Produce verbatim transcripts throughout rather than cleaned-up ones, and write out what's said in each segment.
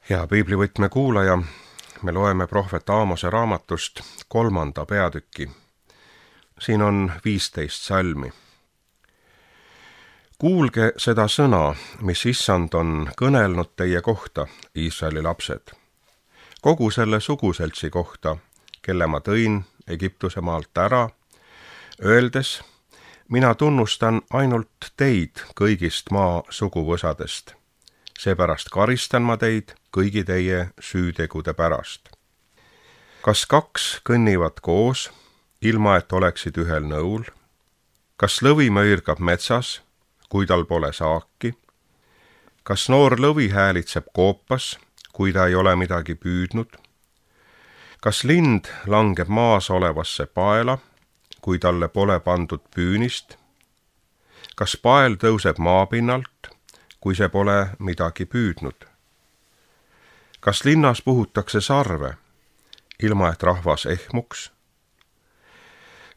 Hea piiblivõtme kuulaja, me loeme prohvet Aamose raamatust kolmanda peatüki. Siin on viisteist salmi. Kuulge seda sõna, mis issand on kõnelnud teie kohta, Iisraeli lapsed. Kogu selle suguseltsi kohta, kelle ma tõin Egiptuse maalt ära, öeldes, mina tunnustan ainult teid kõigist maa suguvõsadest. Seepärast karistan ma teid kõigi teie süütegude pärast. Kas kaks kõnnivad koos, ilma et oleksid ühel nõul? Kas lõvi möirgab metsas, kui tal pole saaki? Kas noor lõvi häälitseb koopas, kui ta ei ole midagi püüdnud? Kas lind langeb maas olevasse paela, kui talle pole pandud püünist? Kas pael tõuseb maapinnalt, kui see pole midagi püüdnud? Kas linnas puhutakse sarve, ilma et rahvas ehmuks?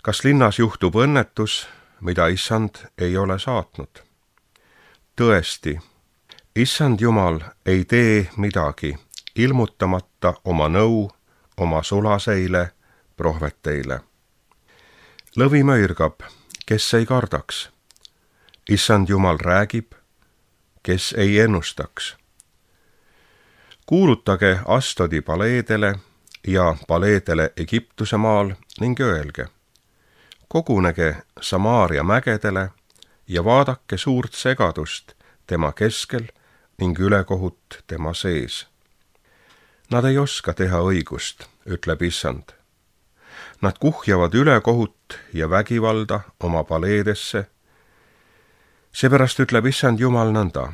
Kas linnas juhtub õnnetus, mida issand ei ole saatnud? Tõesti, issand Jumal ei tee midagi, ilmutamata oma nõu oma sulaseile prohveteile. Lõvi möirgab, kes ei kardaks. Issand Jumal räägib, kes ei ennustaks. Kuulutage Astodi paleedele ja paleedele Egiptuse maal ning öelge, kogunege Samaaria mägedele ja vaadake suurt segadust tema keskel ning ülekohut tema sees. Nad ei oska teha õigust, ütleb issand. Nad kuhjavad ülekohut ja vägivalda oma paleedesse. Seepärast ütleb issand Jumal nõnda.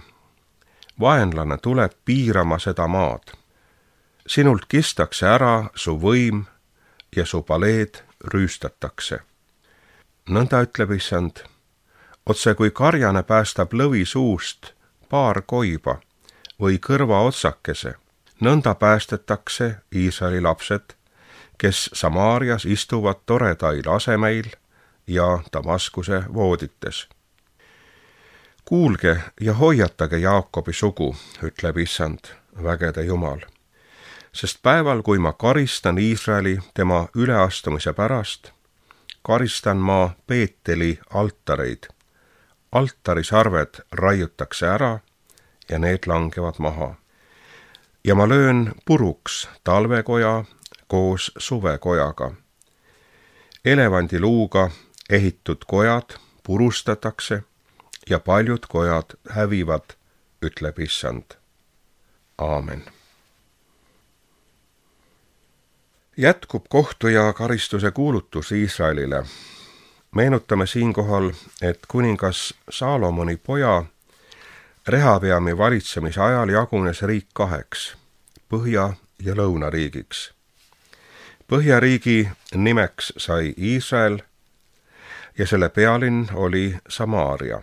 Vaenlane tuleb piirama seda maad. Sinult kistakse ära su võim ja su paleed rüüstatakse. Nõnda ütleb issand, otse kui karjane päästab lõvi suust paar koiba või kõrva otsakese, nõnda päästetakse Iisraeli lapsed, kes Samaarias istuvad toredail asemeil ja Damaskuse voodites. Kuulge ja hoiatage Jaakobi sugu, ütleb issand, vägede Jumal, sest päeval, kui ma karistan Iisraeli tema üleastumise pärast, karistan ma Peeteli altareid. Altarisarved raiutakse ära ja need langevad maha. Ja ma löön puruks talvekoja koos suvekojaga. Elevandiluuga ehitud kojad purustatakse ja paljud kojad hävivad, ütleb issand. Aamen. Jätkub kohtu ja karistuse kuulutus Iisraelile. Meenutame siinkohal, et kuningas Saalomoni poja Rehabeami valitsemise ajal jagunes riik kaheks, Põhja- ja Lõunariigiks. Põhjariigi nimeks sai Iisrael ja selle pealinn oli Samaaria.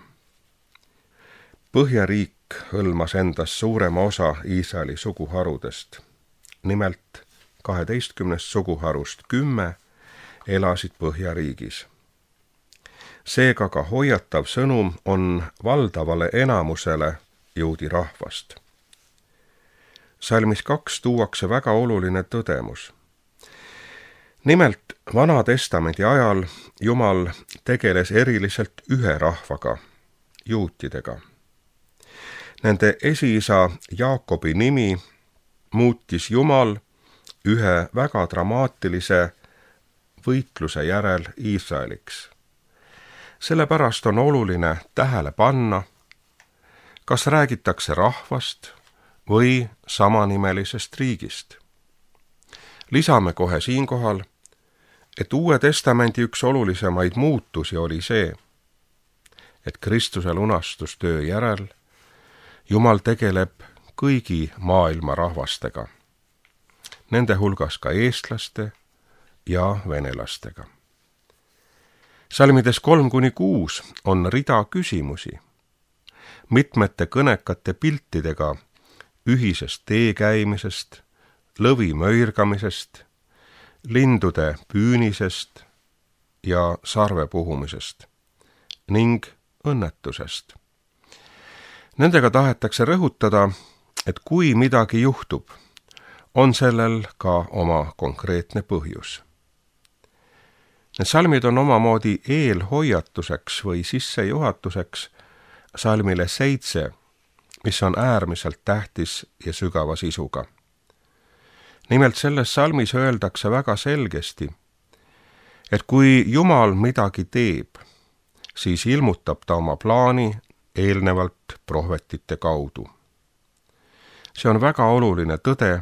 Põhjariik hõlmas endas suurema osa Iisraeli suguharudest. Nimelt kaheteistkümnest suguharust kümme elasid Põhjariigis. Seega ka hoiatav sõnum on valdavale enamusele juudi rahvast. Salmis kaks tuuakse väga oluline tõdemus. Nimelt Vana Testamendi ajal Jumal tegeles eriliselt ühe rahvaga, juutidega. Nende esiisa Jaakobi nimi muutis Jumal ühe väga dramaatilise võitluse järel Iisraeliks. Sellepärast on oluline tähele panna, kas räägitakse rahvast või samanimelisest riigist. Lisame kohe siinkohal, et Uue Testamendi üks olulisemaid muutusi oli see, et Kristuse lunastustöö järel Jumal tegeleb kõigi maailma rahvastega, nende hulgas ka eestlaste ja venelastega. Salmides kolm kuni kuus on rida küsimusi, mitmete kõnekate piltidega ühisest tee käimisest, lõvi möirgamisest, lindude püünisest ja sarve puhumisest ning õnnetusest. Nendega tahetakse rõhutada, et kui midagi juhtub, on sellel ka oma konkreetne põhjus. Need salmid on omamoodi eelhoiatuseks või sissejuhatuseks salmile seitse, mis on äärmiselt tähtis ja sügava sisuga. Nimelt selles salmis öeldakse väga selgesti, et kui Jumal midagi teeb, siis ilmutab ta oma plaani eelnevalt prohvetite kaudu. See on väga oluline tõde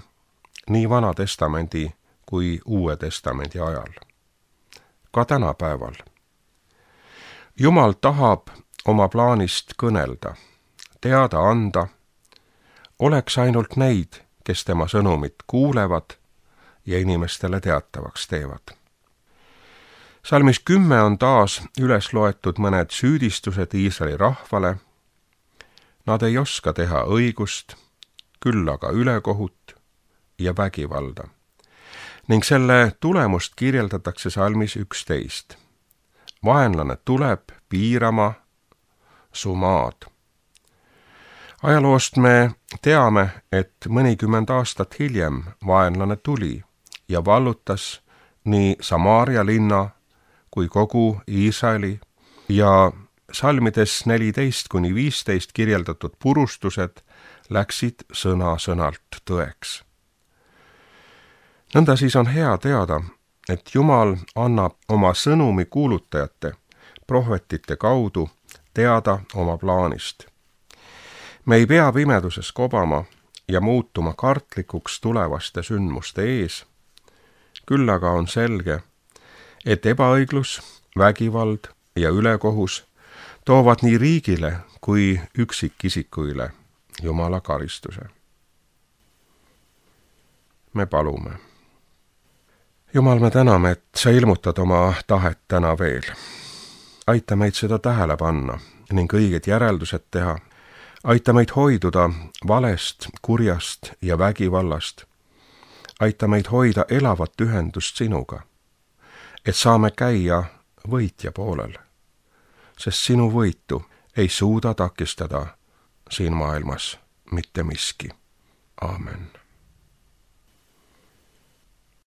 nii Vana Testamendi kui Uue Testamendi ajal. Ka tänapäeval. Jumal tahab oma plaanist kõnelda, teada anda, oleks ainult neid, kes tema sõnumit kuulevad ja inimestele teatavaks teevad. Salmis kümme on taas üles loetud mõned süüdistused Iisraeli rahvale. Nad ei oska teha õigust, küll aga ülekohut ja vägivalda. Ning selle tulemust kirjeldatakse salmis üksteist. Vaenlane tuleb piirama su maad. Ajaloost me teame, et mõnikümmend aastat hiljem vaenlane tuli ja vallutas nii Samaaria linna kui kogu Iisraeli ja salmides neliteist kuni viisteist kirjeldatud purustused läksid sõna-sõnalt tõeks. Nõnda siis on hea teada, et Jumal annab oma sõnumi kuulutajate, prohvetite kaudu teada oma plaanist. Me ei pea pimeduses kobama ja muutuma kartlikuks tulevaste sündmuste ees, küll aga on selge, et ebaõiglus, vägivald ja ülekohus toovad nii riigile kui üksikisikuile Jumala karistuse. Me palume. Jumal, me täname, et sa ilmutad oma tahet täna veel. Aita meid seda tähele panna ning õiged järeldused teha. Aita meid hoiduda valest, kurjast ja vägivallast. Aita meid hoida elavat ühendust sinuga, et saame käia võitja poolel, sest sinu võitu ei suuda takistada siin maailmas mitte miski. Aamen.